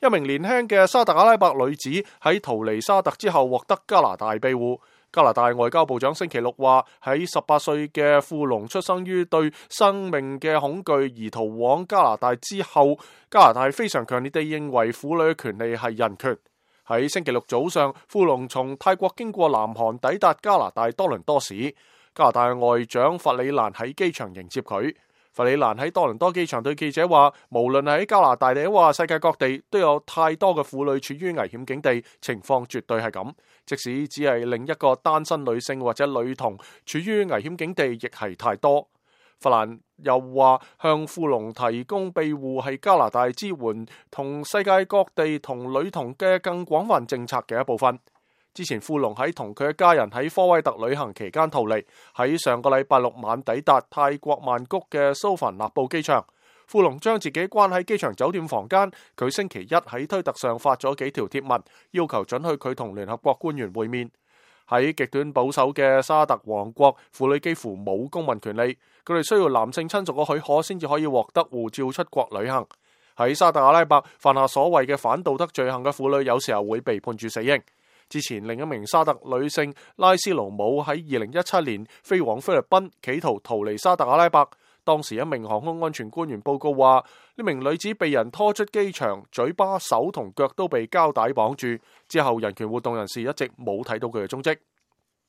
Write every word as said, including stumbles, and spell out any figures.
一名年輕嘅沙特阿拉伯女子喺逃離沙特之後獲得加拿大庇護。加拿大外交部長星期六話，喺十八歲嘅富龍出生於對生命嘅恐懼而逃往加拿大之後，加拿大非常強烈地認為婦女嘅權利係人權。喺星期六早上，富龍從泰國經過南韓抵達加拿大多倫多市。加拿大外長弗里蘭喺機場迎接佢。弗里蘭喺多倫多機場對記者話，無論係喺加拿大定話世界各地，都有太多嘅婦女處於危險境地，情況絕對係咁。即使只係另一個單身女性或者女童處於危險境地，亦係太多。弗蘭又話，向富龍提供庇護係加拿大支援同世界各地同女童嘅更廣泛政策嘅一部分。之前富龍喺同佢嘅家人喺科威特旅行期間逃離，喺上個禮拜六晚抵達泰國曼谷嘅蘇凡納布機場。富龍將自己關喺機場酒店房間，佢星期一喺推特上發咗幾條貼文，要求准許佢同聯合國官員會面。喺極端保守嘅沙特王國，婦女幾乎冇公民權利，佢哋需要男性親屬嘅許可先至可以獲得護照出國旅行。喺沙特阿拉伯，犯下所謂嘅反道德罪行嘅婦女有時候會被判處死刑。之前另一名沙特女性拉斯盧姆喺二零一七年飛往菲律賓，企圖逃離沙特阿拉伯。當時一名航空安全官員報告話，呢名女子被人拖出機場，嘴巴、手同腳都被膠帶綁住。之後人權活動人士一直冇睇到佢嘅蹤跡。